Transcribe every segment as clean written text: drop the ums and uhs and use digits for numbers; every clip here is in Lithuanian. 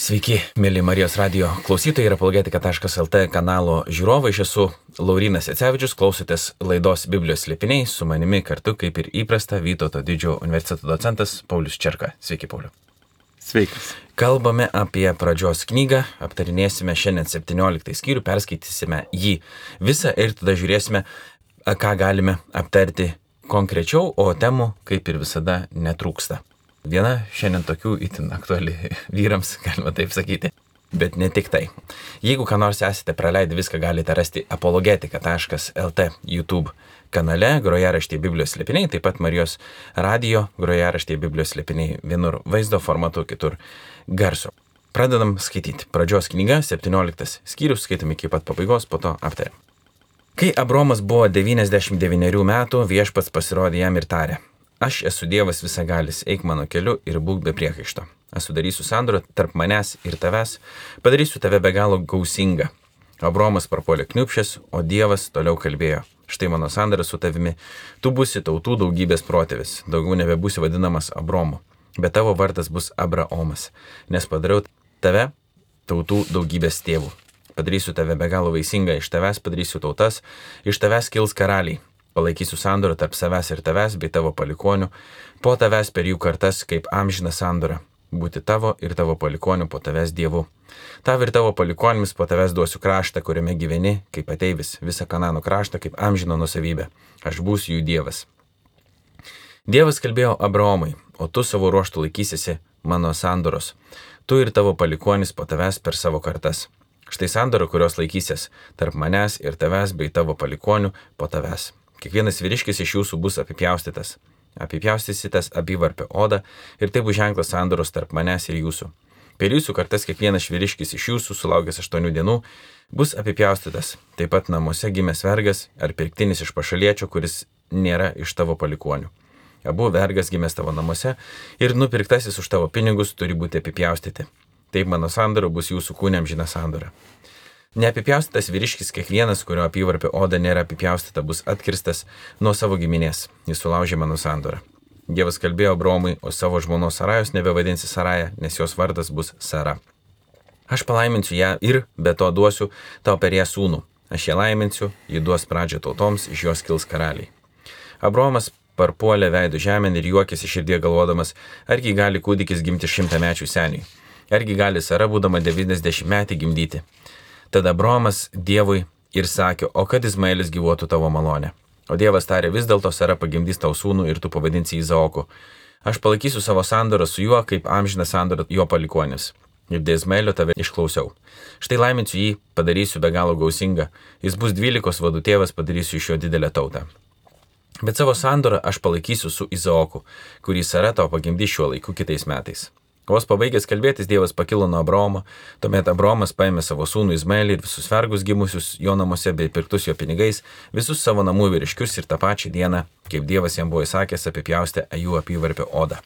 Sveiki, mėly Marijos radio klausytojai ir apologetika.lt kanalo žiūrovai. Aš esu Laurynas Jacevičius, klausotės laidos Biblijos slėpiniai, su manimi kartu, kaip ir įprasta, Vytauto didžiojo universiteto docentas Paulius Čerka. Sveiki, Pauliu. Sveikas. Kalbame apie pradžios knygą, aptarinėsime šiandien 17 skyrių, perskaitysime jį visą ir tada žiūrėsime, ką galime aptarti konkrečiau, o temų, kaip ir visada, netrūksta. Viena šiandien tokių itin aktuali vyrams, galima taip sakyti, bet ne tik tai. Jeigu ką nors esate praleidę, viską galite rasti apologetika.lt YouTube kanale, grojaraštyje Biblijos slėpiniai, taip pat Marijos radio grojaraštyje Biblijos slėpiniai, vienur vaizdo formatu, kitur garso. Pradedam skaityti. Pradžios knyga, 17 skyrius, skaitom iki pat pabaigos, po to aptariam. Kai Abromas buvo 99 metų, viešpats pasirodė jam ir tarė: Aš esu Dievas visagalis, eik mano keliu ir būk be priekaišto. Aš sudarysiu sandorą tarp manęs ir tavęs, padarysiu tave be galo gausingą. Abromas prapuolė kniupšęs, o Dievas toliau kalbėjo: Štai mano sandora su tavimi, tu būsi tautų daugybės protėvis, daugiau nebebūsi vadinamas Abromu, bet tavo vardas bus Abraomas, nes padariau tave tautų daugybės tėvų. Padarysiu tave be galo vaisingą, iš tavęs padarysiu tautas, iš tavęs kils karaliai. Palaikysiu sandorą tarp savęs ir tavęs bei tavo palikonių, po tavęs per jų kartas kaip amžina sandora, būti tavo ir tavo palikonių po tavęs Dievu. Tav ir tavo palikonimis po tavęs duosiu kraštą, kuriame gyveni, kaip ateivis, visą Kanano kraštą kaip amžino nusavybę. Aš būsiu jų Dievas. Dievas kalbėjo Abraomui: O tu savo ruožtų laikysiesi mano sandoros, tu ir tavo palikonis po tavęs per savo kartas. Štai sandora, kurios laikysies tarp manęs ir tavęs bei tavo palikonių po tavęs. Kiekvienas vyriškis iš jūsų bus apipjaustytas. Apipjaustysitas apyvarpio odą ir tai bus ženklas sandoros tarp manęs ir jūsų. Per jūsų kartas kiekvienas vyriškis iš jūsų sulaukęs 8 dienų bus apipjaustytas. Taip pat namuose gimęs vergas ar pirktinis iš pašaliečio, kuris nėra iš tavo palikonių. Abu vergas gimęs tavo namuose ir nupirktasis už tavo pinigus turi būti apipjaustyti. Taip mano sandora bus jūsų kūne amžina sandora. Neapipjaustytas vyriškis kiekvienas, kurio apyvarpio oda nėra apipjaustyta, bus atkirstas nuo savo giminės. Jis sulaužė mano sandorą. Dievas kalbėjo Abraomui: O savo žmonos Sarajos nebevadinsi Saraja, nes jos vardas bus Sara. Aš palaiminsiu ją ir be to duosiu tau per ją sūnų. Aš ją laiminsiu, ji duos pradžią tautoms, iš jos kils karaliai. Abraomas parpuolė veidu žemėn ir juokėsi širdie galvodamas, argi gali kūdikis gimti 100-mečiui seniui. Argi gali Sara, būdama 90 metį, gimdyti. Tada Abraomas Dievui ir sakė: O kad Izmaelis gyvuotų tavo malonę. O Dievas tarė: Vis dėlto Sara pagimdys tau sūnų ir tu pavadinsi Izaoku. Aš palaikysiu savo sandorą su juo, kaip amžina sandora jo palikonis. Ir dėl Izmaelio tave išklausiau. Štai laiminsiu jį, padarysiu be galo gausingą. Jis bus 12 vadų tėvas, padarysiu iš jo didelę tautą. Bet savo sandorą aš palaikysiu su Izaoku, kurį Sara tau pagimdys šiuo laiku kitais metais. Vos pabaigęs kalbėtis, Dievas pakilo nuo Abraomo, tuomet Abraomas paėmė savo sūnų Izmaelį ir visus vergus gimusius jo namuose bei pirktus jo pinigais, visus savo namų vyriškius ir tą pačią dieną, kaip Dievas jam buvo įsakęs, apipjaustė jų apyvarpio odą.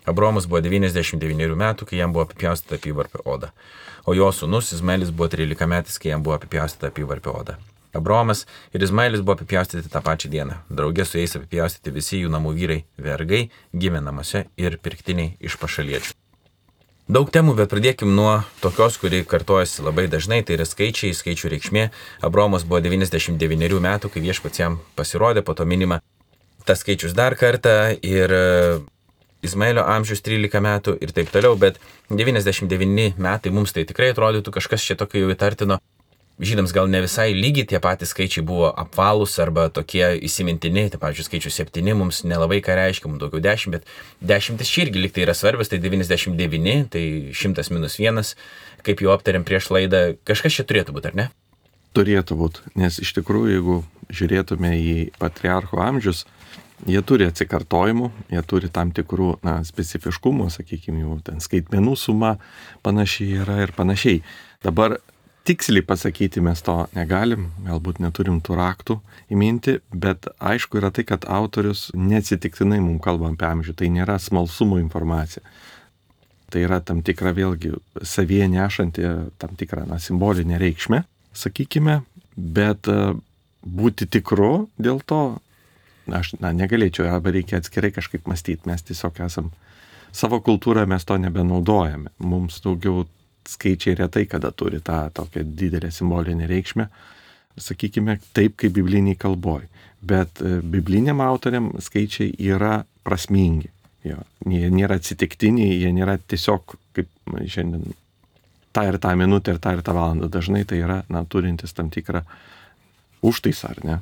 Abraomas buvo 99 metų, kai jam buvo apipjaustyta apyvarpio oda, o jo sūnus Izmaelis buvo 13 metais, kai jam buvo apipjaustyta apyvarpio oda. Abraomas ir Izmaelis buvo apipjaustyti tą pačią dieną, draugė su jais apipjaustyti visi jų namų vyrai, vergai, gimę namuose ir pirktiniai iš pašaliečių. Daug temų, bet pradėkim nuo tokios, kuri kartojasi labai dažnai, tai yra skaičiai, skaičių reikšmė. Abraomas buvo 99 metų, kai viešpats jam pasirodė, po to minima tas skaičius dar kartą ir Izmaelio amžius 13 metų ir taip toliau, bet 99 metai mums tai tikrai atrodytų kažkas čia tokio jau įtartino. Žydams gal ne visai lygiai tie patys skaičiai buvo apvalūs arba tokie įsimintini, tai pavyzdžiui skaičius 7 mums nelabai ką reiškia, mums daugiau 10, bet 10 čia irgi lyg tai yra svarbios, tai 99, tai 100 minus 1, kaip jau aptarėm prieš laidą, kažkas čia turėtų būti, ar ne? Turėtų būti, nes iš tikrųjų, jeigu žiūrėtume į patriarchų amžius, jie turi atsikartojimų, jie turi tam tikrų specifiškumų, sakykime, jau ten skaitmenų suma panašiai yra ir panašiai. Dabar tiksliai pasakyti mes to negalim, galbūt neturim tų raktų įminti, bet aišku yra tai, kad autorius neatsitiktinai mums kalba apie amžių, tai nėra smalsumo informacija. Tai yra tam tikra vėlgi savyje nešanti tam tikrą simbolinę reikšmę, sakykime, bet būti tikru dėl to, aš negalėčiau, arba reikia atskirai kažkaip mąstyti, mes tiesiog esam, savo kultūrą mes to nebenaudojame, mums daugiau skaičiai retai kada turi tą tokią didelę simbolinę reikšmę, sakykime, taip kaip bibliniai kalboj. Bet bibliniam autoriam skaičiai yra prasmingi. Jo. Jie nėra atsitiktiniai, jie nėra tiesiog kaip šiandien tą ir tą minutę ir tą valandą. Dažnai tai yra, turintis tam tikrą užtaisą, ar ne?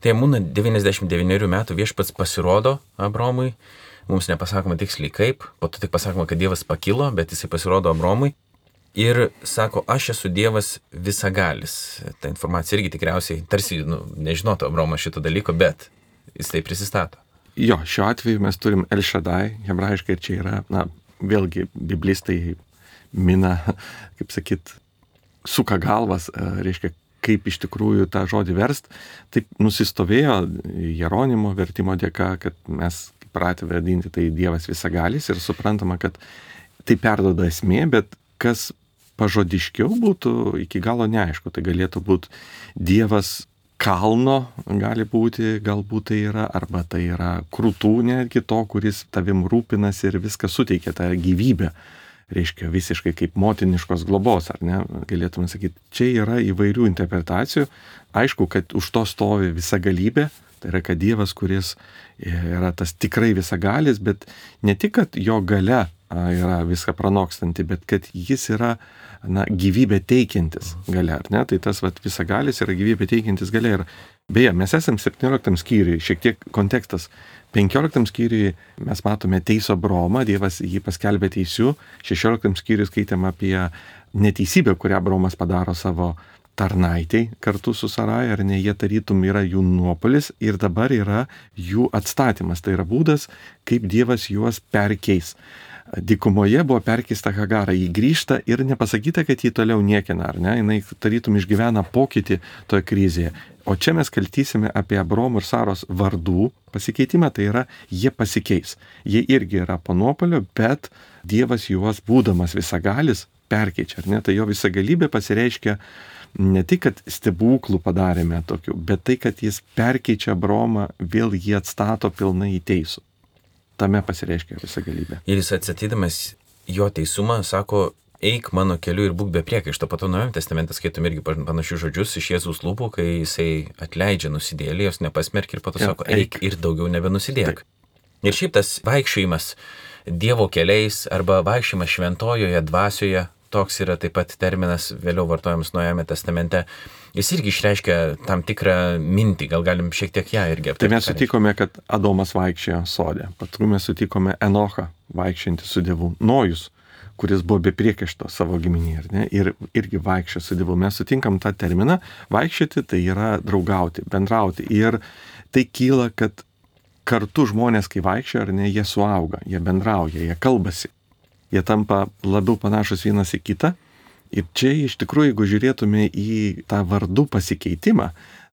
Tai būna 99 metų viešpats pasirodo Abromui, mums nepasakoma tiksliai kaip, po to tik pasakoma, kad Dievas pakilo, bet jisai pasirodo Abromui ir sako, aš esu Dievas visagalis. Ta informacija irgi tikriausiai, tarsi, nežinotų Abromas šito dalyko, bet jis tai prisistato. Jo, šiuo atveju mes turim El Shaddai, hebrajiškai, ir čia yra, vėlgi, biblistai mina, kaip sakyt, suka galvas, reiškia, kaip iš tikrųjų tą žodį verst. Taip nusistovėjo Jeronimo vertimo dėka, kad mes pratę vadinti tai Dievas visagalis ir suprantama, kad tai perduoda esmė, bet kas pažodiškiau būtų iki galo neaišku. Tai galėtų būti Dievas kalno, gali būti, galbūt tai yra, arba tai yra krūtų netgi to, kuris tavim rūpinasi ir viską suteikia tą gyvybę. Reiškia visiškai kaip motiniškos globos, ar ne? Galėtume sakyti, čia yra įvairių interpretacijų. Aišku, kad už to stovi visagalybė, tai yra, kad Dievas, kuris yra tas tikrai visagalis, bet ne tik, kad jo galia yra viską pranokstanti, bet kad jis yra gyvybę teikiantis galia, ar ne? Tai tas visagalis yra gyvybę teikiantis galia. Ir beje, mes esam 17 skyriui, šiek tiek kontekstas. 15 skyriui mes matome teisų Abromą, Dievas jį paskelbė teisiu. 16 skyriui skaitėm apie neteisybę, kurią Abromas padaro savo tarnaitei kartu su Sarai, ar ne, jie tarytum yra jų nuopolis ir dabar yra jų atstatymas. Tai yra būdas, kaip Dievas juos perkeis. Dykumoje buvo perkeista Hagara, jį grįžta ir nepasakyta, kad jį toliau niekina, ar ne, jinai tarytum išgyvena pokytį toje krizėje. O čia mes kaltysime apie Abromo ir Saros vardų pasikeitimą, tai yra, jie pasikeis. Jie irgi yra po nuopolio, bet Dievas juos, būdamas visagalis, perkeičia, ar ne, tai jo visagalybė pasireiškia ne tik, kad stebuklų padarėme tokių, bet tai, kad jis perkeičia Abromą, vėl jį atstato pilnai į teisų. Tame pasireiškia visagalybė. Ir jis atsatydamas jo teisumą sako, eik mano keliu ir būk be priekaišto. Po to Naujajame testamente skaitom irgi panašius žodžius iš Jėzaus lūpų, kai jisai atleidžia nusidėlį, jos nepasmerkia ir po to sako, eik ir daugiau nebenusidėk. Ir šiaip tas vaikščiojimas Dievo keliais arba vaikščiojimas šventojoje dvasioje, toks yra taip pat terminas vėliau vartojamas Naujajame testamente, jis irgi išreiškia tam tikrą mintį, gal galim šiek tiek ją irgi aptarti. Tai mes sutikome, kad Adomas vaikščiojo sode, paskui mes sutikome Enochą vaikščiantį su Dievu, Nojus, kuris buvo be priekaišto savo giminėje, ar ne, ir irgi vaikščiojo su Dievu. Mes sutinkam tą terminą, vaikščioti tai yra draugauti, bendrauti, ir tai kyla, kad kartu žmonės, kai vaikščioja, ar ne, jie suauga, jie bendrauja, jie kalbasi. Jie tampa labiau panašus vienas į kitą. Ir čia iš tikrųjų, jeigu žiūrėtume į tą vardų pasikeitimą,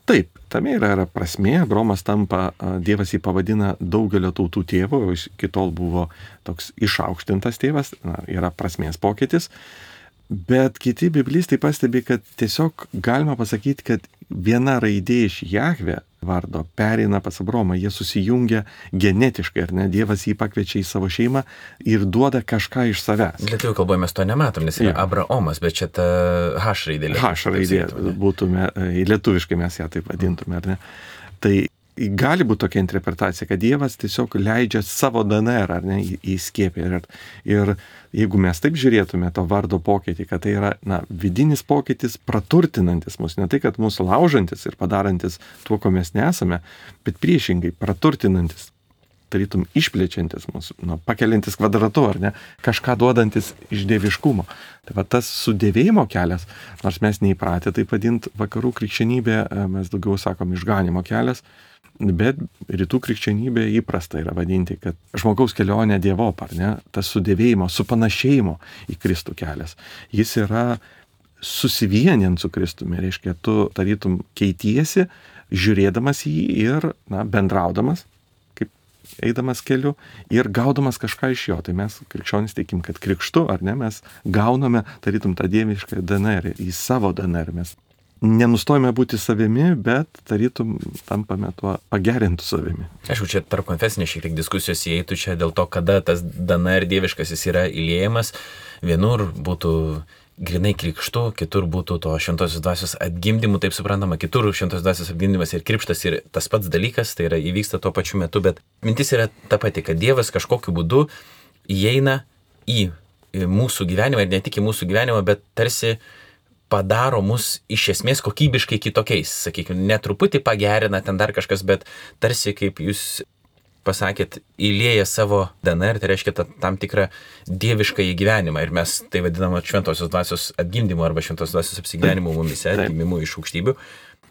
taip, tame yra prasmė. Abromas tampa, Dievas jį pavadina daugelio tautų tėvu, o iki tol buvo toks išaukštintas tėvas, yra prasmės pokytis. Bet kiti biblistai pastebi, kad tiesiog galima pasakyti, kad viena raidė iš Jahve vardo pereina pas Abromą, jie susijungia genetiškai, ar ne, Dievas jį pakviečia į savo šeimą ir duoda kažką iš savęs. Lietuvių kalboje mes to nematom, nes yra Abraomas, bet čia ta H raidė. H raidė būtume, lietuviškai mes ją taip vadintume, ar ne. Tai gali būti tokia interpretacija, kad Dievas tiesiog leidžia savo DNR, ar ne, įskiepį. Ir jeigu mes taip žiūrėtume to vardo pokytį, kad tai yra vidinis pokytis praturtinantis mus, ne tai, kad mūsų laužantis ir padarantis tuo, ko mes nesame, bet priešingai praturtinantis, tarytum išplečiantis mūsų, pakeliantis kvadratu, ar ne, kažką duodantis iš dieviškumo. Tai va tas sudėvėjimo kelias, nors mes neįpratę taip vadinti vakarų krikščionybė, mes daugiau sakom išganimo kelias, bet rytų krikščionybė įprasta yra vadinti, kad žmogaus kelionė dievop, ar ne, tas sudėvėjimo, supanašėjimo į Kristų kelias. Jis yra susivienint su Kristumi, reiškia, tu tarytum keitiesi, žiūrėdamas jį ir bendraudamas, kaip eidamas keliu ir gaudamas kažką iš jo. Tai mes krikščionys tikim, kad krikštu, ar ne, mes gauname tarytum tą dievišką DNR, į savo DNR mes nenustojame būti savimi, bet tarytum tampame tuo pagerintų savimi. Aišku, čia tarp konfesinės šiek tiek diskusijos įeitų čia dėl to, kada tas DNR dieviškasis yra įliejamas. Vienur būtų grinai krikštu, kitur būtų to šventosios dvasios atgimdymu, taip suprantama, kitur šventosios dvasios atgimdymas ir krikštas ir tas pats dalykas, tai yra įvyksta tuo pačiu metu, bet mintis yra ta pati, kad Dievas kažkokiu būdu įeina į mūsų gyvenimą ir ne tik į mūsų gyvenimą, bet tarsi padaro mus iš esmės kokybiškai kitokiais, sakykime, netruputį pagerina ten dar kažkas, bet tarsi, kaip jūs pasakėt, įlieja savo DNR, tai reiškia tam tikrą dievišką gyvenimą ir mes tai vadiname šventosios dvasios atgimdymu arba šventosios dvasios apsigyvenimu mumise, atgimimu iš aukštybių.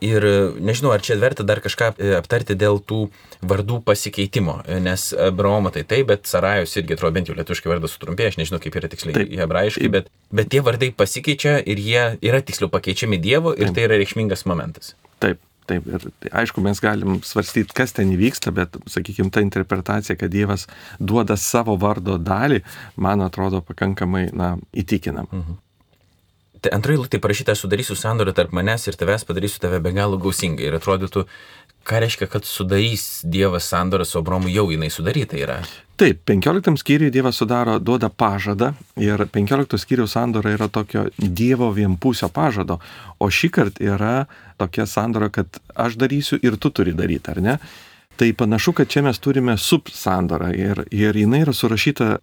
Ir nežinau, ar čia verta dar kažką aptarti dėl tų vardų pasikeitimo, nes Abraomo tai taip, bet Sarajos irgi atrodo bent jau lietuviškai vardas sutrumpėja, aš nežinau, kaip yra tiksliai hebrajiškai, bet tie vardai pasikeičia ir jie yra tiksliau pakeičiami Dievo ir tai yra reikšmingas momentas. Taip, ir aišku, mes galim svarstyti, kas ten įvyksta, bet, sakykime, ta interpretacija, kad Dievas duoda savo vardo dalį, man atrodo pakankamai, įtikinama. Tai antroji eilutė parašyta, sudarysiu sandorą tarp manęs ir tavęs, padarysiu tave be galo gausingai. Ir atrodytų, ką reiškia, kad sudarys Dievas sandorą su Abraomu, jau jinai sudaryta yra. Taip, 15 skyriui Dievas duoda pažadą ir 15 skyriaus sandora yra tokio Dievo vienpusio pažado, o šį kartą yra tokia sandora, kad aš darysiu ir tu turi daryti, ar ne? Tai panašu, kad čia mes turime subsandorą ir jinai yra surašyta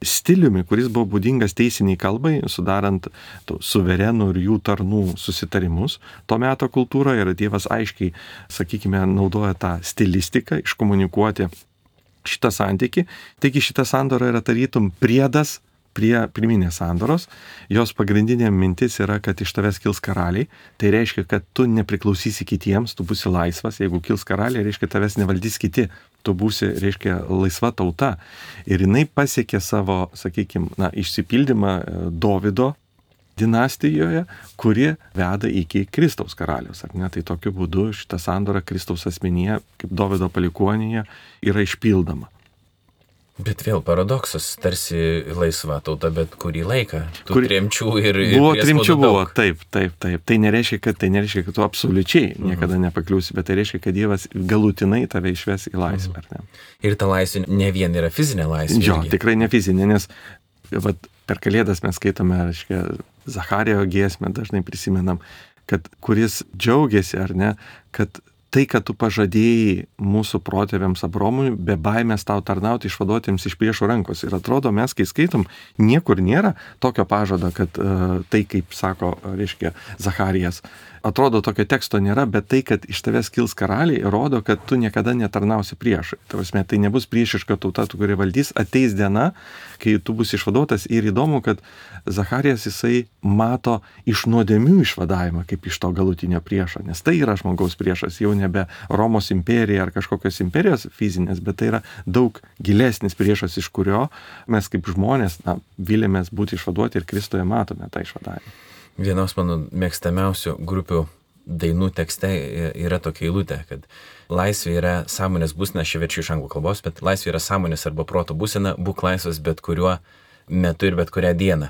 stiliumi, kuris buvo būdingas teisiniai kalbai, sudarant suverenų ir jų tarnų susitarimus. To meto kultūroje ir Dievas aiškiai, sakykime, naudoja tą stilistiką iškomunikuoti šitą santykį. Taigi šita sandora yra tarytum priedas prie pirminės sandoros. Jos pagrindinė mintis yra, kad iš tavęs kils karaliai. Tai reiškia, kad tu nepriklausysi kitiems, tu būsi laisvas. Jeigu kils karaliai, reiškia, tavęs nevaldys kiti. Tu būsi, reiškia, laisva tauta. Ir jinai pasiekė savo, sakykime, išsipildymą Dovydo dinastijoje, kuri veda iki Kristaus karaliaus. Ar ne? Tai tokiu būdu šita sandora Kristaus asmenyje, kaip Dovydo palikuonyje, yra išpildoma. Bet vėl paradoksas, tarsi laisva tauta, bet kurį laiką. Tremčių ir tremčių buvo, taip. Tai nereiškia, kad tu absoliučiai niekada nepakliūsi, bet tai reiškia, kad Dievas galutinai tave išves į laisvę. Ar ne? Ir ta laisvė ne vien yra fizinė laisvė. Jo, tikrai ne fizinė, nes per Kalėdas mes skaitome, reiškia, Zacharijo giesmę dažnai prisimenam, kad kuris džiaugiasi, ar ne, kad tai, kad tu pažadėjai mūsų protėviams Abraomui, be baimės tau tarnauti išvaduotiems iš priešų rankos. Ir atrodo, mes, kai skaitom, niekur nėra tokio pažado, kad tai, kaip sako, reiškia, Zacharijas, atrodo, tokio teksto nėra, bet tai, kad iš tavęs kils karaliai, rodo, kad tu niekada netarnausi priešui. Tai nebus priešiška tauta, tu, kuri valdys, ateis diena, kai tu bus išvaduotas. Ir įdomu, kad Zacharijas jisai mato iš nuodėmių išvadavimą, kaip iš to galutinio priešo, nes tai yra žmogaus priešas, jau nebe Romos imperija ar kažkokios imperijos fizinės, bet tai yra daug gilesnis priešas, iš kurio mes kaip žmonės vilėmės būti išvaduoti ir Kristuje matome tą išvadavimą. Vienos mano mėgstamiausių grupių dainų tekste yra tokia eilutė, kad laisvė yra sąmonės būsena, aš verčiu iš anglų kalbos, bet laisvė yra sąmonės arba proto būsena, būk laisvas bet kuriuo metu ir bet kurią dieną.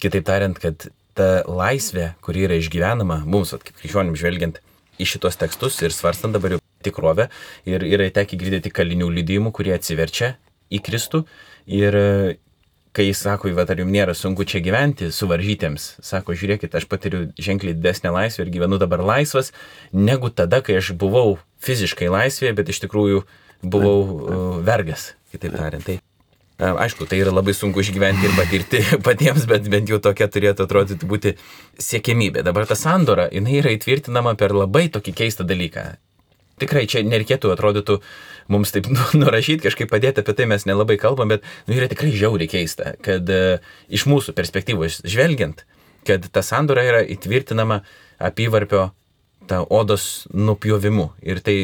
Kitaip tariant, kad ta laisvė, kuri yra išgyvenama mums, kaip krikščionim žvelgiant į šitos tekstus ir svarstant dabar jau tikrovę, ir yra tekę girdėti kalinių liudijimų, kurie atsiverčia į Kristų ir kai jis sako, ar jums nėra sunku čia gyventi suvaržytiems, sako, žiūrėkit, aš patiriu ženkliai didesnę laisvę ir gyvenu dabar laisvas, negu tada, kai aš buvau fiziškai laisvėje, bet iš tikrųjų buvau vergas, kitaip tariant. Tai, aišku, tai yra labai sunku išgyventi ir patirti patiems, bet bent jau tokia turėtų atrodyti būti siekiamybė. Dabar ta sandora, jinai yra įtvirtinama per labai tokį keistą dalyką. Tikrai čia nereikėtų, atrodytų, mums taip nurašyti, kažkaip padėti, apie tai mes nelabai kalbam, bet yra tikrai žiauriai keista, kad iš mūsų perspektyvos žvelgiant, kad ta sandora yra įtvirtinama apyvarpio ta odos nupjovimu. Ir tai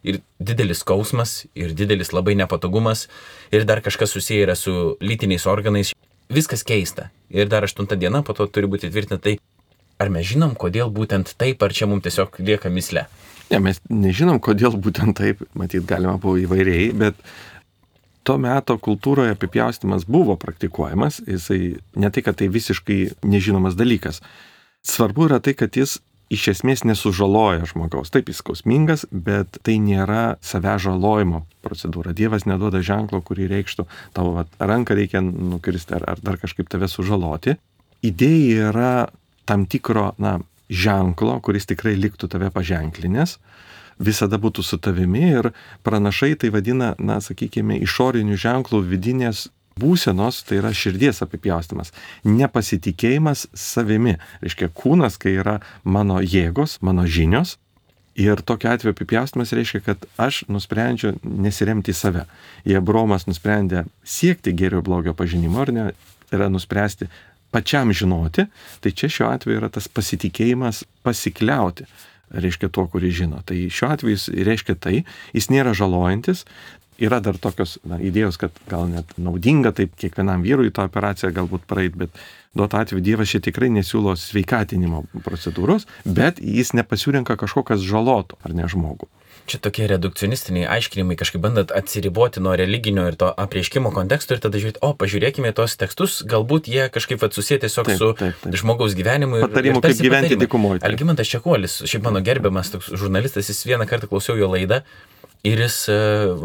ir didelis skausmas, ir didelis labai nepatogumas, ir dar kažkas susiję yra su lytiniais organais. Viskas keista. Ir dar 8 diena po to turi būti įtvirtinta. Tai ar mes žinom, kodėl būtent taip, ar čia mums tiesiog lieka mįslė? Ne, mes nežinom, kodėl būtent taip, matyt, galima buvo įvairiai, bet to meto kultūroje apipjaustymas buvo praktikuojamas, jisai ne tai, kad tai visiškai nežinomas dalykas. Svarbu yra tai, kad jis iš esmės nesužaloja žmogaus. Taip, jis skausmingas, bet tai nėra savęs žalojimo procedūra. Dievas neduoda ženklo, kurį reikštų tavo ranką reikia nukirsti ar dar kažkaip tave sužaloti. Idėja yra tam tikro, ženklo, kuris tikrai liktų tave paženklinės, visada būtų su tavimi ir pranašai tai vadina, sakykime, išorinių ženklų vidinės būsenos, tai yra širdies apipjaustymas, nepasitikėjimas savimi. Reiškia, kūnas, kai yra mano jėgos, mano žinios, ir tokiu atveju apipjaustymas reiškia, kad aš nusprendžiu nesiremti į save. Jei Abraomas nusprendė siekti gėrio blogio pažinimo, ar ne, yra nuspręsti pačiam žinoti, tai čia šiuo atveju yra tas pasitikėjimas pasikliauti, reiškia tuo, kurį žino. Tai šiuo atveju jis reiškia tai, jis nėra žalojantis. Yra dar tokios idėjos, kad gal net naudinga taip kiekvienam vyrui tą operaciją galbūt praeit, bet duotu atveju Dievas čia tikrai nesiūlo sveikatinimo procedūros, bet jis nepasirenka kažko, kas žalotų, ar ne žmogų. Čia tokie redukcionistiniai aiškinimai, kažkaip bandant atsiriboti nuo religinio ir to apreiškimo konteksto ir tada žiūrėti, pažiūrėkime tos tekstus, galbūt jie kažkaip susiję tiesiog su žmogaus gyvenimu. Patarimų, kaip gyventi dykumoje. Algimantas Čekuolis, šiaip mano gerbiamas toks žurnalistas, jis vieną kartą klausiau jo laidą. Ir jis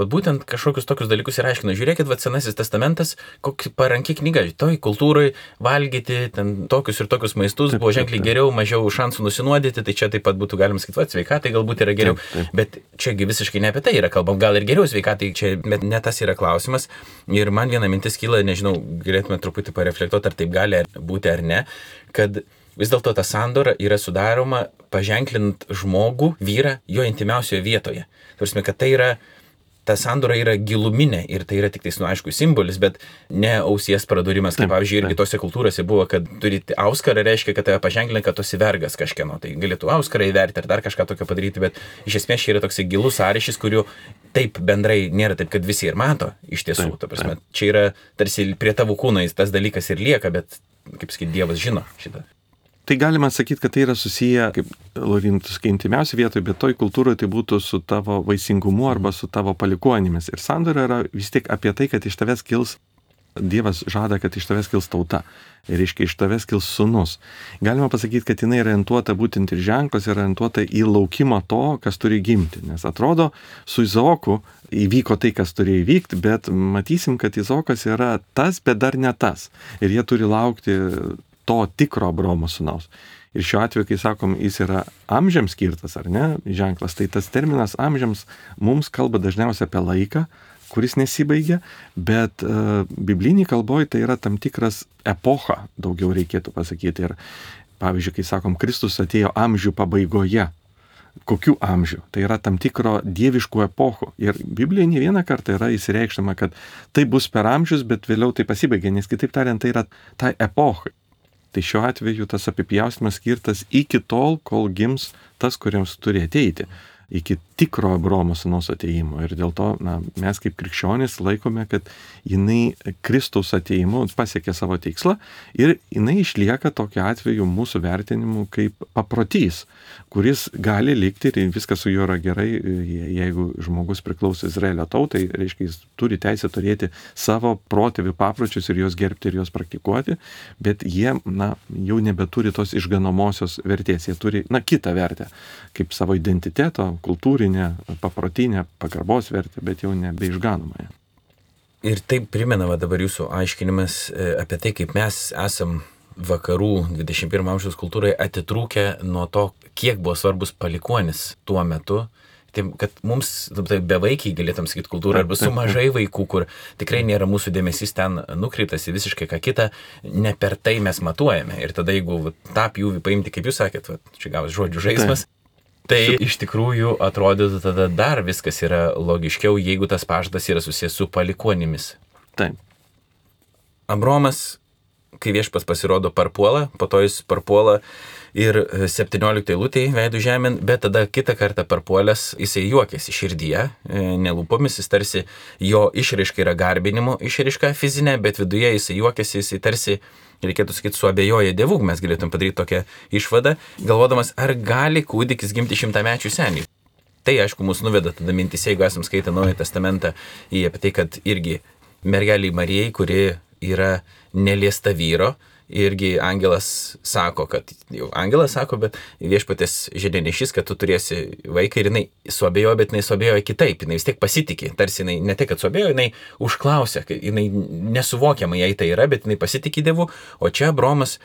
būtent kažkokius tokius dalykus ir aiškino. Žiūrėkit, Senasis testamentas, kokia paranki knyga, toj kultūrai valgyti ten tokius ir tokius maistus buvo ženkliai geriau, mažiau šansų nusinuodyti, tai čia taip pat būtų galima sakyti, sveikatai galbūt yra geriau. Bet čiagi visiškai ne apie tai yra kalbam, gal ir geriau sveikatai, čia bet ne tas yra klausimas. Ir man viena mintis kyla, nežinau, galėtume truputį pareflektuoti, ar taip gali būti ar ne, kad vis dėlto ta sandora yra sudaroma paženklint žmogų, vyrą, jo intimiausioje vietoje. Tarsi, kad tai yra, ta sandora yra giluminė ir tai yra tik tais, aišku, simbolis, bet ne ausies pradurimas, kaip pavyzdžiui, irgi tose kultūrose buvo, kad turite auskarą, reiškia, kad tave paženklina, kad tu esi vergas kažkieno, tai galėtų auskarą įverti ar dar kažką tokio padaryti, bet iš esmės čia yra toks gilus sąryšis, kurių taip bendrai nėra taip, kad visi ir mato iš tiesų, ta prasme, čia yra tarsi prie tavo kūno tas dalykas ir lieka, bet, kaip sakyti, Dievas žino šitą. Tai galima sakyti, kad tai yra susiję, kaip Laurintas, kai intimiausia vietoje, bet toj kultūroje tai būtų su tavo vaisingumu arba su tavo palikuonimis. Ir sandora yra vis tiek apie tai, kad iš tavęs kils, Dievas žada, kad iš tavęs kils tauta. Ir reiškia, iš tavęs kils sūnus. Galima pasakyti, kad jinai orientuota būtent ir ženklas, yra orientuota į laukimą to, kas turi gimti. Nes atrodo, su Izaoku įvyko tai, kas turi įvykti, bet matysim, kad Izaokas yra tas, bet dar ne tas. Ir jie turi laukti to tikro Abraomo sūnaus. Ir šiuo atveju, kai sakom, jis yra amžiams skirtas, ar ne, ženklas, tai tas terminas amžiams mums kalba dažniausiai apie laiką, kuris nesibaigia, bet biblinėje kalboje tai yra tam tikras epocha, daugiau reikėtų pasakyti. Ir pavyzdžiui, kai sakom, Kristus atėjo amžių pabaigoje, kokių amžių? Tai yra tam tikro dieviškų epochų. Ir Biblijoje ne vieną kartą yra įsireikštama, kad tai bus per amžius, bet vėliau tai pasibaigia, nes kitaip tariant, tai yra tai epochai. Tai šiuo atveju tas apipjaustymas skirtas iki tol, kol gims tas, kuriems turi ateiti. Iki tikro Abraomo sūnaus atėjimo. Ir dėl to mes kaip krikščionys laikome, kad jinai Kristaus atėjimu pasiekė savo tikslą ir jinai išlieka tokiu atveju mūsų vertinimu kaip paprotys, kuris gali likti ir viskas su juo yra gerai, jeigu žmogus priklauso Izraelio tautai, reiškia, jis turi teisę turėti savo protėvių papročius ir juos gerbti ir juos praktikuoti, bet jie jau nebeturi tos išganomosios vertės, jie turi kitą vertę, kaip savo identiteto, kultūrinę, paprotinę, pagarbos vertę, bet jau nebeišganomąją. Ir taip primena dabar jūsų aiškinimas apie tai, kaip mes esam vakarų 21 amžiaus kultūrai atitrūkę nuo to, kiek buvo svarbus palikuonis tuo metu, tai, kad mums bevaikiai galėtum sakyti kultūrą arba su mažai vaikų, kur tikrai nėra mūsų dėmesys ten nukreiptas į visiškai ką kitą, ne per tai mes matuojame. Ir tada jeigu tą pjūvį paimti, kaip jūs sakėt, čia gavas žodžių žaismas, tai iš tikrųjų atrodytų tada dar viskas yra logiškiau, jeigu tas pažadas yra susijęs su palikuonimis. Taip. Abraomas, kai Viešpats pasirodo, parpuola, po to jis parpuola ir 17 eilutėje veidų žemėn, bet tada kitą kartą parpuolęs jisai juokėsi širdyje, nelūpomis, jis tarsi jo išraiška yra garbinimo išraiška fizinė, bet viduje jisai juokėsi, jisai tarsi, reikėtų sakyti, suabejoja Dievu, mes galėtum padaryti tokią išvadą, galvodamas, ar gali kūdikis gimti 100-mečių senį. Tai, aišku, mus nuveda tada mintis, jeigu esam skaitę Naująjį testamentą, apie tai, kad irgi mergeliai Marijai, kuri yra neliesta vyro, irgi angelas sako, bet viešpatės žinianešys, kad tu turėsi vaiką ir jinai suabejojo, bet jinai suabejojo kitaip, jinai vis tiek pasitikė, tarsi jinai ne tik, kad suabejojo, jinai užklausė, jinai nesuvokiama jai tai yra, bet jinai pasitikė Dievu, o čia Abraomas,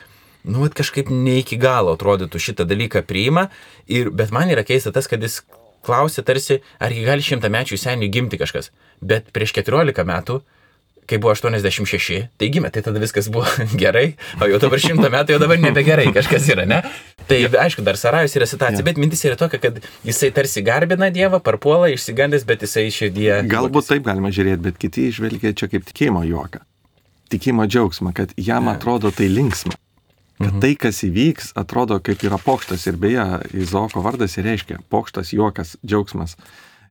kažkaip ne iki galo atrodytų šitą dalyką priima, bet man yra keista tas, kad jis klausė tarsi, argi gali 100-mečiui seniui gimti kažkas, bet prieš 14 metų, kai buvo 86, tai gimė, tai tada viskas buvo gerai, o jau dabar 100 metų jau dabar nebegerai kažkas yra, ne? Tai aišku, dar Sarajus yra situacija, bet mintis yra tokia, kad jisai tarsi garbina Dievą, parpuola, išsigandęs, bet jisai širdyje... Galbūt taip galima žiūrėti, bet kiti žvelgia čia kaip tikėjimo juoką, tikėjimo džiaugsmą, kad jam atrodo tai linksma. Kad tai, kas įvyks, atrodo kaip yra pokštas. Ir beje, Izaoko vardas ir reiškia pokštas, juokas, džiaugsmas.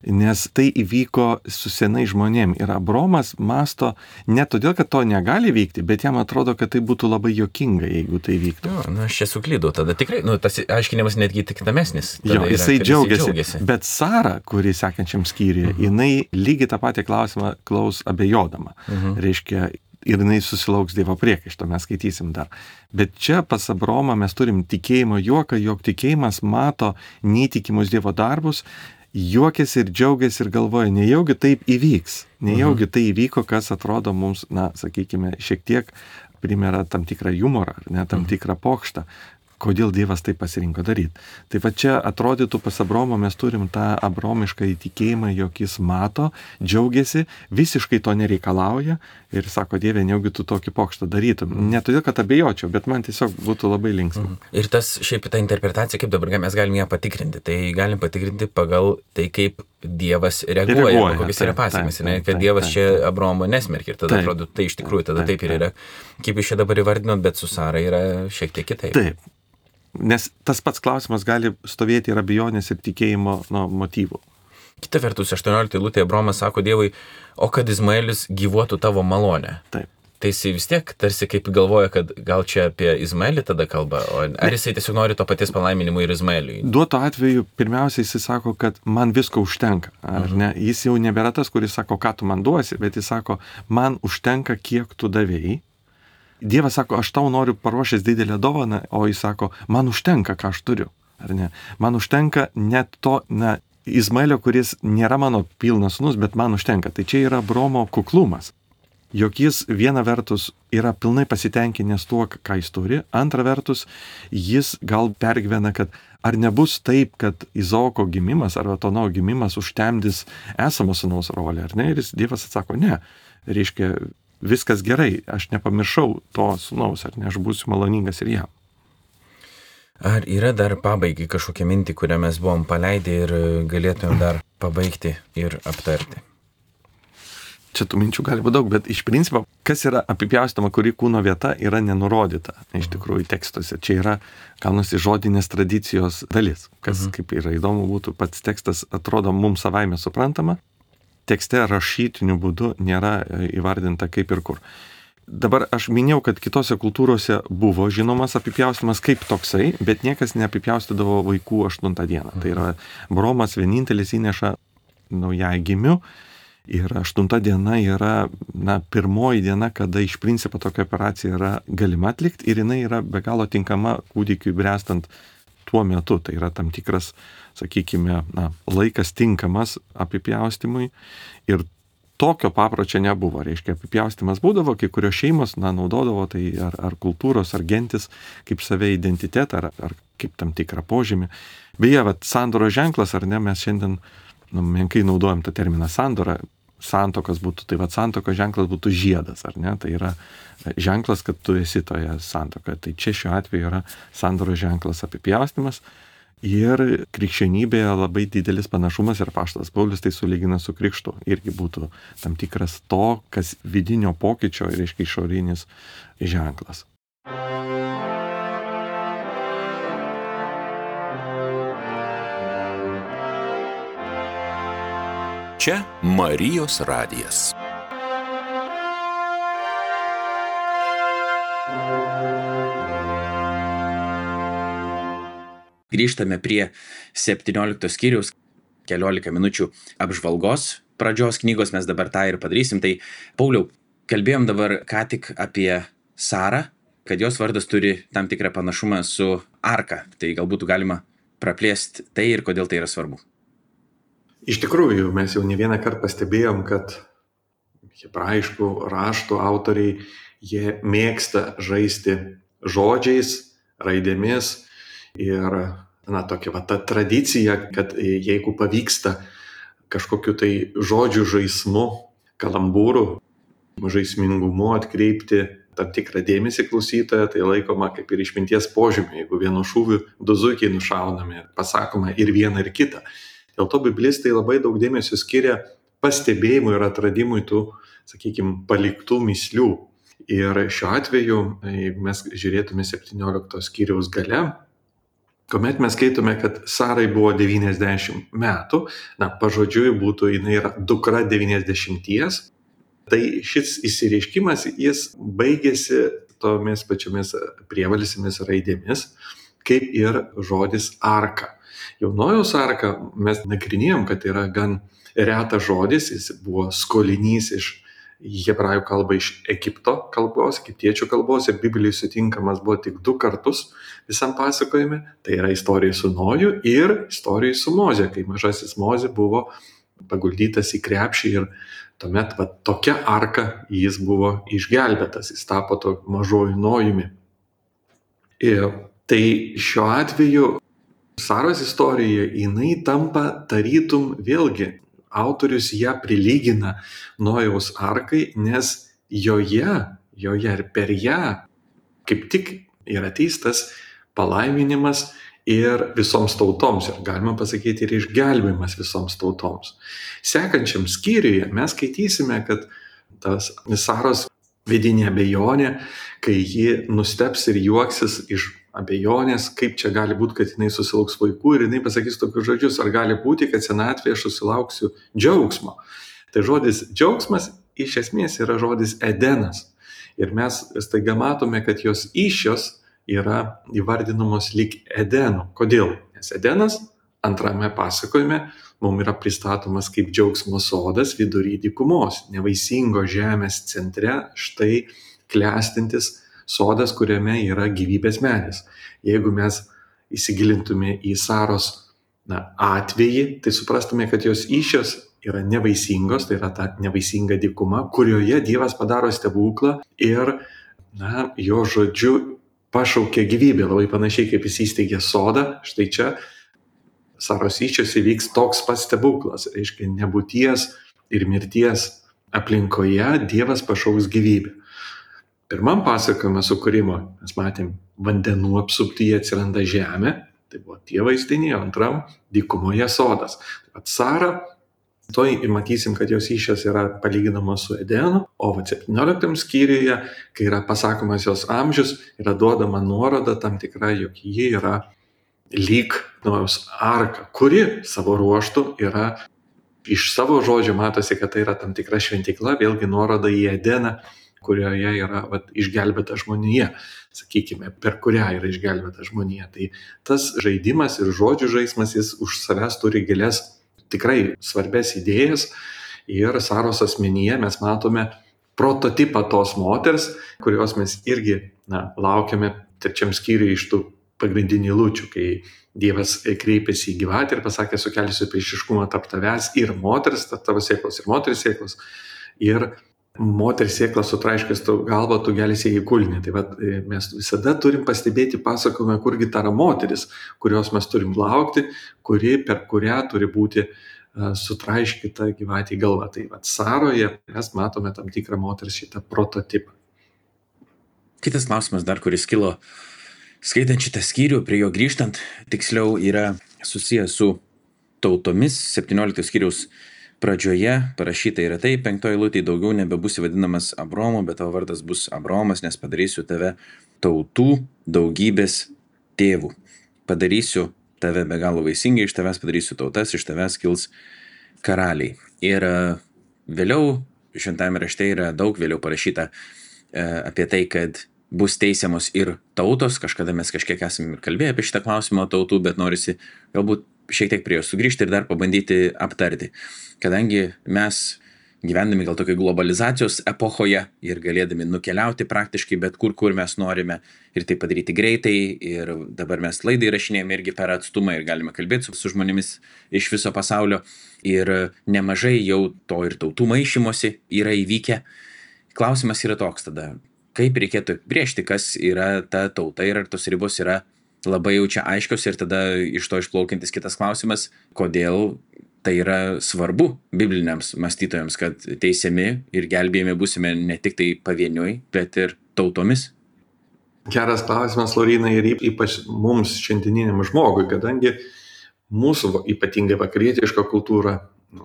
Nes tai įvyko su senai žmonėm. Ir Abraomas masto ne todėl, kad to negali vykti, bet jam atrodo, kad tai būtų labai juokinga, jeigu tai vyktų. Aš čia suklydau. Tada tikrai, tas aiškinimas netgi tik tamesnis. Jo, jisai džiaugiasi. Bet Sara, kuri sekančiam skyriuje, jinai lygiai tą patį klausimą klaus abejodama. Reiškia, ir jinai susilauks Dievo priekaišto, mes skaitysim dar. Bet čia pas Abraomą mes turim tikėjimo juoką, jog tikėjimas mato neįtikimus Dievo darbus, juokiasi ir džiaugiasi ir galvoja, nejaugi taip įvyks, nejaugi tai įvyko, kas atrodo mums, sakykime, šiek tiek primera tam tikrą humorą, ar ne, tam tikrą pokštą. Kodėl Dievas tai pasirinko daryti. Tai va čia atrodytų pas Abraomą mes turim tą abraomišką įtikėjimą, jog jis mato, džiaugiasi, visiškai to nereikalauja ir sako, Dieve, nejaugi tu tokį pokštą darytum. Ne todėl, kad abejočiau, bet man tiesiog būtų labai linksma. Ir tas šiaip ta interpretacija, kaip dabar mes galim ją patikrinti, tai galim patikrinti pagal tai, kaip Dievas reaguoja kokios yra pasekmės, kad Dievas čia Abraomo nesmerkia ir tada atrodo, tai iš tikrųjų tada taip ir yra. Kaip jūs čia dabar įvardinot, bet su Sara yra šiek tiek kitaip. Taip. Nes tas pats klausimas gali stovėti ir abejonės ir tikėjimo motyvų. Kita vertus, 18 eilutėje Abraomas sako Dievui, o kad Izmaelis gyvuotų tavo malonę. Taip. Tai jisai vis tiek tarsi kaip galvoja, kad gal čia apie Izmaelį tada kalba, ar jisai tiesiog nori to paties palaiminimo ir Izmaeliui? Duoto atveju, pirmiausia, jisai sako, kad man visko užtenka, ar ne? Jis jau nebėra tas, kuris sako, ką tu man duosi, bet jis sako, man užtenka, kiek tu davėjai. Dievas sako, aš tau noriu paruošęs didelę dovaną, o jis sako, man užtenka, ką aš turiu, ar ne? Man užtenka net to, Izmaelio, kuris nėra mano pilnas sūnus, bet man užtenka. Tai čia yra Abraomo kuklumas. Jog jis viena vertus yra pilnai pasitenkinęs tuo, ką jis turi, antra vertus jis gal pergyvena, kad ar nebus taip, kad Izaoko gimimas arba Tono gimimas užtemdys esamo sūnaus rolę, ar ne? Ir Dievas atsako, ne, reiškia, viskas gerai, aš nepamiršau to sūnaus, ar ne, aš būsiu maloningas ir jam. Ar yra dar pabaigai kažkokia mintį, kurią mes buvom paleidę ir galėtumėm dar pabaigti ir aptarti? Čia tų minčių gali būti daug, bet iš principo, kas yra apipjaustoma, kuri kūno vieta yra nenurodyta, iš tikrųjų tekstuose. Čia yra gaunasi žodinės tradicijos dalis, kas kaip yra įdomu būtų, pats tekstas atrodo mums savaime suprantama, tekste rašytiniu būdu nėra įvardinta kaip ir kur. Dabar aš minėjau, kad kitose kultūrose buvo žinomas apipjaustymas kaip toksai, bet niekas neapipjaustydavo vaikų 8 dieną. Tai yra Abraomas vienintelis įneša naujagimių ir 8 diena yra pirmoji diena, kada iš principo tokia operacija yra galima atlikti ir jinai yra be galo tinkama kūdikiui bręstant tuo metu. Tai yra tam tikras, sakykime, laikas tinkamas apipjaustymui ir tokio papročio nebuvo. Reiškia, apipjaustymas būdavo, kai kurios šeimos naudodavo tai ar kultūros, ar gentis kaip save identitetą, ar kaip tam tikrą požymį. Beje, sandoros ženklas, ar ne, mes šiandien menkai naudojam tą terminą sandora, santuokas būtų, tai santuokos ženklas būtų žiedas, ar ne, tai yra ženklas, kad tu esi toje santuokoje. Tai čia šiuo atveju yra sandoros ženklas apipjaustymas. Ir krikščionybėje labai didelis panašumas ir apaštalas Paulius tai sulygina su krikštu. Irgi būtų tam tikras to, kas vidinio pokyčio, reiškia išorinis ženklas. Čia Marijos radijas. Grįžtame prie 17 skyriaus, keliolika minučių apžvalgos pradžios knygos, mes dabar tą ir padarysim. Tai, Pauliau, kalbėjom dabar ką tik apie Sarą, kad jos vardas turi tam tikrą panašumą su arka. Tai galbūt galima praplėsti tai ir kodėl tai yra svarbu. Iš tikrųjų, mes jau ne vieną kartą pastebėjom, kad hebrajiškų raštų autoriai, jie mėgsta žaisti žodžiais, raidėmis ir tokia ta tradicija, kad jeigu pavyksta kažkokiu tai žodžių žaismu, kalambūrų, žaismingumu atkreipti tam tikrą dėmesį klausytoją, tai laikoma kaip ir išminties požymė, jeigu vienu šūviu du zuikiai nušaunami, pasakoma ir viena ir kita. Dėl to biblistai labai daug dėmesio skiria pastebėjimui ir atradimui tų, sakykime, paliktų mįslių. Ir šiuo atveju, jeigu mes žiūrėtume 17 skyriaus gale, kuomet mes skaitome, kad Sarai buvo 90 metų, pažodžiui būtų, jinai yra dukra 90, tai šis įsireiškimas, jis baigėsi tomis pačiomis prievalsėmis raidėmis, kaip ir žodis arka. Jaunojaus arka mes nagrinėjom, kad yra gan retas žodis, jis buvo skolinys iš hebrajų kalbą iš Egipto kalbos, egiptiečių kalbos ir Biblijai sutinkamas buvo tik 2 kartus visam pasakojime. Tai yra istorija su Noju ir istorija su Moze, kai mažasis Moze buvo paguldytas į krepšį ir tuomet tokia arka jis buvo išgelbėtas, jis tapo to mažoju Nojumi. Ir tai šiuo atveju Saros istorija, jinai tampa tarytum vėlgi. Autorius ją prilygina Nojaus arkai, nes joje ir per ją kaip tik yra teistas palaiminimas ir visoms tautoms, ir galima pasakyti ir išgelbėjimas visoms tautoms. Sekančiam skyriuje mes skaitysime, kad tas Saros vidinė abejonė, kai ji nusteps ir juoksis iš abejonės, kaip čia gali būti, kad jinai susilauks vaikų ir jinai pasakys tokius žodžius, ar gali būti, kad senatvėje aš susilauksiu džiaugsmo. Tai žodis džiaugsmas iš esmės yra žodis Edenas. Ir mes staiga matome, kad jos įsčios yra įvardinamos lyg Edenu. Kodėl? Nes Edenas antrame pasakojime mums yra pristatomas kaip džiaugsmo sodas vidury dykumos, nevaisingo žemės centre, štai klestintis sodas, kuriame yra gyvybės medis. Jeigu mes įsigilintume į Saros atvejį, tai suprastume, kad jos įsčios yra nevaisingos, tai yra ta nevaisinga dykuma, kurioje Dievas padaro stebuklą ir jo žodžiu pašaukia gyvybę, labai panašiai kaip jis įsteigė sodą. Štai čia Saros įsčios įvyks toks pats stebuklas, reiškia nebūties ir mirties aplinkoje Dievas pašauks gyvybę. Pirmam pasakojime sukūrimo mes matėm, vandenų apsuptyje atsiranda žemė, tai buvo tie vaizdiniai, antram dykumoje sodas. Taip pat Sara, toj matysim, kad jos įsčios yra palyginamos su Edenu, o 17 skyriuje, kai yra pasakomas jos amžius, yra duodama nuoroda tam tikra, jog ji yra lyg Nojaus arka, kuri savo ruožtu yra, iš savo žodžio matosi, kad tai yra tam tikra šventykla, vėlgi nuoroda į Edeną, kurioje yra išgelbėta žmonija, sakykime, per kurią yra išgelbėta žmonija. Tai tas žaidimas ir žodžių žaismas, jis už savęs turi gilias, tikrai svarbės idėjas ir Saros asmenyje mes matome prototipą tos moters, kurios mes irgi laukiame 3 skyriuje iš tų pagrindinių eilučių, kai Dievas kreipėsi į gyvatę ir pasakė, sukelsiu priešiškumą tarp tavęs ir moters, tavo sėklos ir moters sėklos. Ir moters sėklą sutraiškęs tau galvą, tu gelsi į kulnį. Tai mes visada turim pastebėti pasakojimą, kurgi ta yra moteris, kurios mes turim laukti, per kurią turi būti sutraiškyta gyvatė galva. Tai Saroje mes matome tam tikrą moters šitą prototipą. Kitas klausimas dar, kuris kilo skaitant šitą skyrių, prie jo grįžtant, tiksliau yra susijęs su tautomis. 17 skyriaus pradžioje parašyta yra tai, 5 eilutė, daugiau nebebusi vadinamas Abromu, bet tavo vardas bus Abromas, nes padarysiu tave tautų daugybės tėvų. Padarysiu tave be galo vaisingai, iš tavęs padarysiu tautas, iš tavęs kils karaliai. Ir vėliau, šventame rašte yra daug vėliau parašyta apie tai, kad bus teisiamos ir tautos. Kažkada mes kažkiek esame ir kalbėję apie šitą klausimą tautų, bet norisi galbūt šiek tiek prie jo sugrįžti ir dar pabandyti aptarti. Kadangi mes gyvendami gal tokio globalizacijos epochoje ir galėdami nukeliauti praktiškai bet kur mes norime ir tai padaryti greitai. Ir dabar mes laidą įrašinėjame irgi per atstumą ir galime kalbėti su žmonėmis iš viso pasaulio. Ir nemažai jau to ir tautų maišymosi yra įvykę. Klausimas yra toks tada, kaip reikėtų apibrėžti, kas yra ta tauta ir ar tos ribos yra labai jau čia aiškios. Ir tada iš to išplaukiantis kitas klausimas, kodėl tai yra svarbu bibliniams mąstytojams, kad teisiami ir gelbėjami būsime ne tik tai pavieniui, bet ir tautomis. Geras klausimas, Lauryna, ir ypač mums šiandieniniam žmogui, kadangi mūsų ypatingai vakarietiška kultūra,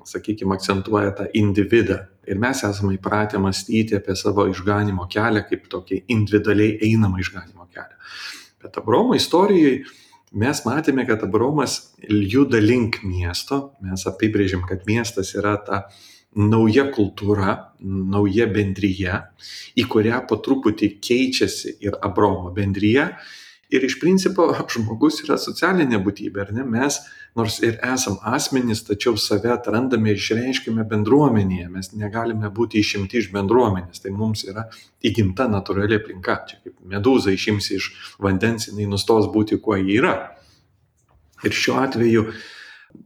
sakykime, akcentuoja tą individą. Ir mes esame įpratę mąstyti apie savo išganimo kelią kaip tokį individualiai einamą išganimo kelią. Bet Abraomo istorijoje mes matėme, kad Abraomas juda link miesto. Mes apibrėžėm, kad miestas yra ta nauja kultūra, nauja bendryje, į kurią po truputį keičiasi ir Abraomo bendryje. Ir iš principo žmogus yra socialinė būtybė, ar ne? Mes nors ir esam asmenys, tačiau save atrandame ir išreiškime bendruomenėje. Mes negalime būti išimti iš bendruomenės. Tai mums yra įgimta natūrali aplinka. Čia kaip medūza išimsi iš vandens, jinai nustos būti, kuo ji yra. Ir šiuo atveju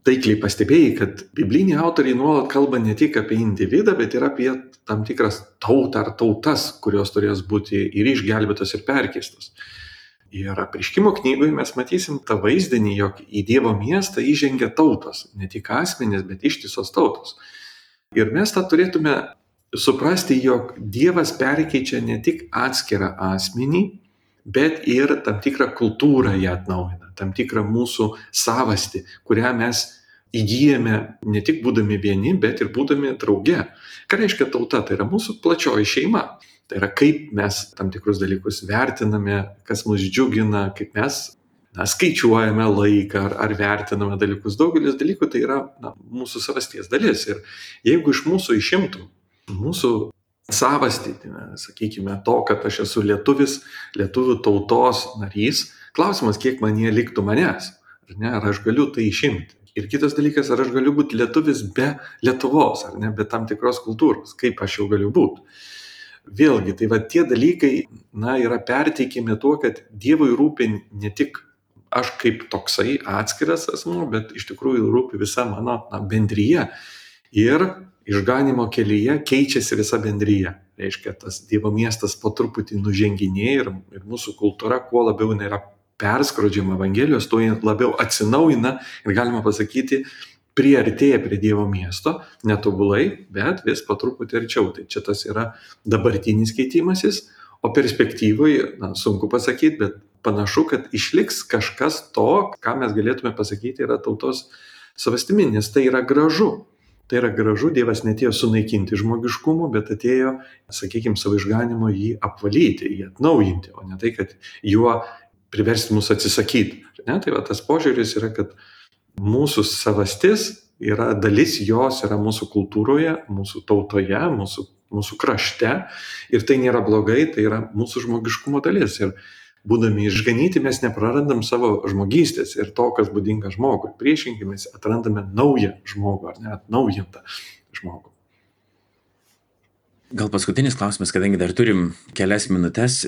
taikliai pastebėjai, kad bibliniai autoriai nuolat kalba ne tik apie individą, bet ir apie tam tikras tautą ar tautas, kurios turės būti ir išgelbėtos, ir perkeistos. Ir Apreiškimo knygoje mes matysim tą vaizdinį, jog į Dievo miestą įžengia tautos, ne tik asmenys, bet ištisos tautos. Ir mes tą turėtume suprasti, jog Dievas perkeičia ne tik atskirą asmenį, bet ir tam tikrą kultūrą ją atnaujina, tam tikrą mūsų savastį, kurią mes įgyjame ne tik būdami vieni, bet ir būdami drauge. Ką reiškia tauta? Tai yra mūsų plačioji šeima. Tai yra kaip mes tam tikrus dalykus vertiname, kas mus džiugina, kaip mes skaičiuojame laiką ar vertiname dalykus. Daugelis dalykų tai yra mūsų savasties dalis. Ir jeigu iš mūsų išimtų mūsų savastį, sakykime, to, kad aš esu lietuvis, lietuvių tautos narys, klausimas, kiek man jie liktų manęs, ar ne, ar aš galiu tai išimti. Ir kitas dalykas, ar aš galiu būti lietuvis be Lietuvos, ar ne, be tam tikros kultūros, kaip aš jau galiu būti. Vėlgi, tai va tie dalykai yra perteikimi tuo, kad Dievui rūpi ne tik aš kaip toksai atskiras asmuo, bet iš tikrųjų rūpi visa mano bendryje. Ir išganimo kelyje keičiasi visa bendryje. Reiškia, tas Dievo miestas po truputį nuženginėja ir mūsų kultūra, kuo labiau yra perskrodžiama Evangelijos, tuo labiau atsinaujina ir galima pasakyti, priartėja prie Dievo miesto, netobulai, bet vis po truputį arčiau. Tai čia tas yra dabartinis keitimasis, o perspektyvai, sunku pasakyti, bet panašu, kad išliks kažkas to, ką mes galėtume pasakyti, yra tautos savastimi, nes tai yra gražu. Tai yra gražu, Dievas netėjo sunaikinti žmogiškumo, bet atėjo, sakykime, savo išganimo jį apvalyti, jį atnaujinti, o ne tai, kad juo priversti mus atsisakyti. Ne? Tai va, tas požiūris yra, kad mūsų savastis yra dalis jos, yra mūsų kultūroje, mūsų tautoje, mūsų krašte ir tai nėra blogai, tai yra mūsų žmogiškumo dalis. Ir būdami išganyti mes neprarandam savo žmogystės ir to, kas būdinga žmogui. Priešingai mes atrandame naują žmogų ar ne atnaujintą žmogų. Gal paskutinis klausimas, kadangi dar turim kelias minutes,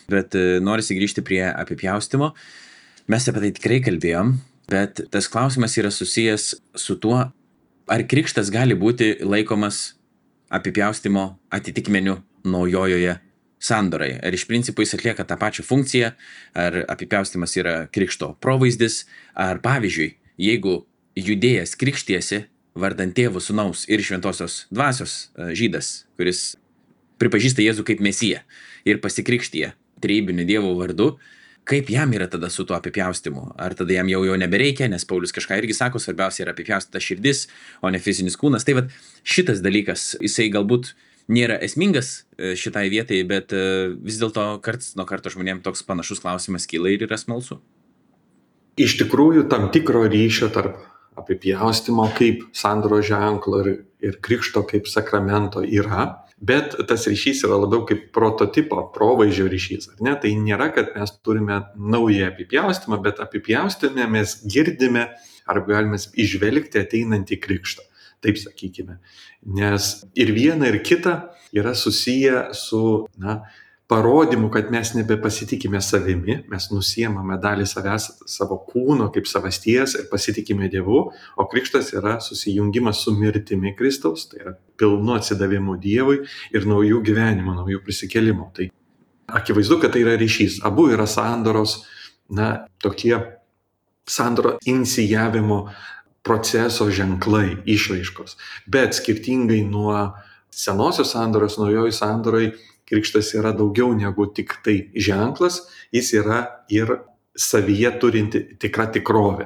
bet norisi grįžti prie apipjaustimo. Mes apie tai tikrai kalbėjom. Bet tas klausimas yra susijęs su tuo, ar krikštas gali būti laikomas apipjaustimo atitikmeniu naujojoje sandoroje. Ar iš principo jis atlieka tą pačią funkciją, ar apipjaustimas yra krikšto provaizdis, ar pavyzdžiui, jeigu judėjas krikštiesi vardant Tėvo, Sūnaus ir Šventosios Dvasios žydas, kuris pripažįsta Jėzų kaip Mesiją ir pasikrikštija trejybiniu Dievo vardu, kaip jam yra tada su tuo apipjaustimu? Ar tada jam jau nebereikia, nes Paulius kažką irgi sako, svarbiausia yra apipjaustyta širdis, o ne fizinis kūnas. Tai vat šitas dalykas, jisai galbūt nėra esmingas šitai vietai, bet vis dėlto karts nuo karto žmonėms toks panašus klausimas kyla ir yra smalsu. Iš tikrųjų, tam tikro ryšio tarp apipjaustimo kaip sandoros ženklo ir krikšto kaip sakramento yra. Bet tas ryšys yra labiau kaip prototipo, provaizdžio ryšys. Ar ne? Tai nėra, kad mes turime naują apipjaustymą, bet apipjaustymę mes girdime arba galime išvelgti ateinantį krikštą. taip sakykime. Nes ir viena, ir kita yra susiję su, parodymu, kad mes nebepasitikime savimi, mes nusiemame dalį savęs, savo kūno kaip savasties ir pasitikime Dievu, o krikštas yra susijungimas su mirtimi Kristaus, tai yra pilnu atsidavimu Dievui ir naujų gyvenimo, naujų prisikėlimų. Tai akivaizdu, kad tai yra ryšys. Abu yra sandoros, tokie sandoro inicijavimo proceso ženklai, išraiškos. Bet skirtingai nuo senosios sandoros, naujojoj sandoroj, krikštas yra daugiau negu tik tai ženklas, jis yra ir savyje turinti tikra tikrovė.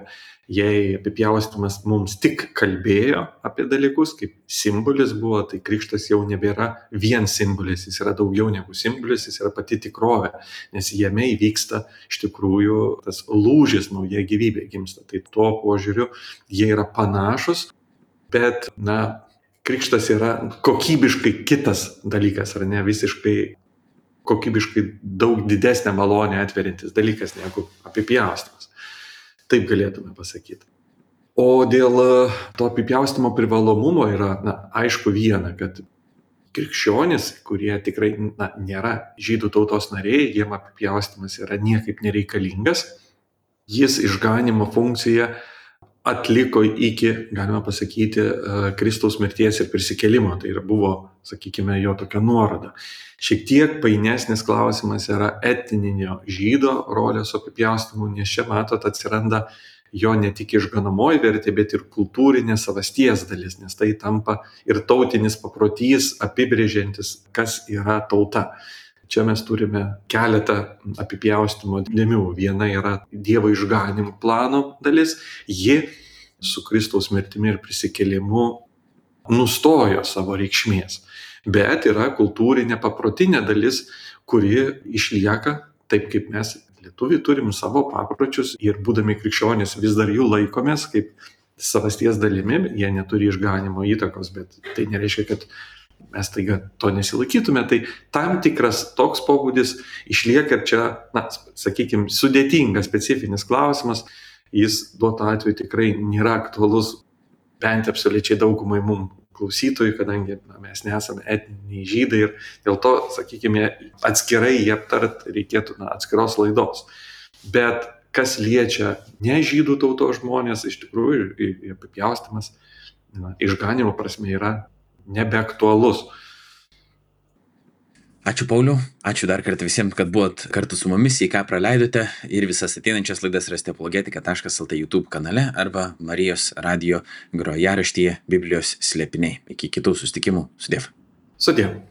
Jei apipjaustymas mums tik kalbėjo apie dalykus, kaip simbolis buvo, tai krikštas jau nebėra vien simbolis, jis yra daugiau negu simbolis, jis yra pati tikrovė, nes jame įvyksta iš tikrųjų tas lūžis, nauja gyvybė gimsta. Tai tuo požiūriu jie yra panašus, bet, krikštas yra kokybiškai kitas dalykas, ar ne, visiškai kokybiškai daug didesnę malonę atveriantis dalykas negu apipjaustymas. Taip galėtume pasakyti. O dėl to apipjaustymo privalomumo yra, aišku viena, kad krikščionys, kurie tikrai nėra žydų tautos nariai, jiem apipjaustymas yra niekaip nereikalingas, jis išganymo funkciją atliko iki, galima pasakyti, Kristaus mirties ir prisikėlimo. Tai buvo, sakykime, jo tokia nuoroda. Šiek tiek painesnis klausimas yra etninio žydo rolės su apipjaustymu, nes čia, matot, atsiranda jo ne tik išganamoji vertė, bet ir kultūrinė savasties dalis, nes tai tampa ir tautinis paprotys apibrėžiantis, kas yra tauta. Čia mes turime keletą apipjaustymo dėmių. Viena yra Dievo išganimo plano dalis. Ji su Kristaus mirtimi ir prisikėlimu nustojo savo reikšmės. Bet yra kultūrinė paprotinė dalis, kuri išlieka taip, kaip mes lietuviai turim savo papročius ir būdami krikščionys vis dar jų laikomės kaip savasties dalimi. Jie neturi išganimo įtakos, bet tai nereiškia, kad mes taiga to nesilaikytume, tai tam tikras toks pobūdis išlieka ir čia, sakykime, sudėtingas, specifinis klausimas, jis duotu atveju tikrai nėra aktualus bent absoliučiai daugumai mums klausytojų, kadangi mes nesame etniniai žydai ir dėl to, sakykime, atskirai jį aptart reikėtų atskiros laidos. Bet kas liečia ne žydų tautos žmonės, iš tikrųjų apipjaustymas išganimo prasme yra nebeaktualus. Ačiū Pauliau, ačiū dar kartą visiems, kad buvot kartu su mumis, į ką praleidote, ir visas ateinančias laidas rasite apologetika.lt YouTube kanale arba Marijos radijo grojaraštyje Biblijos slėpiniai. Iki kitų susitikimų. Sudiev. Sudiev.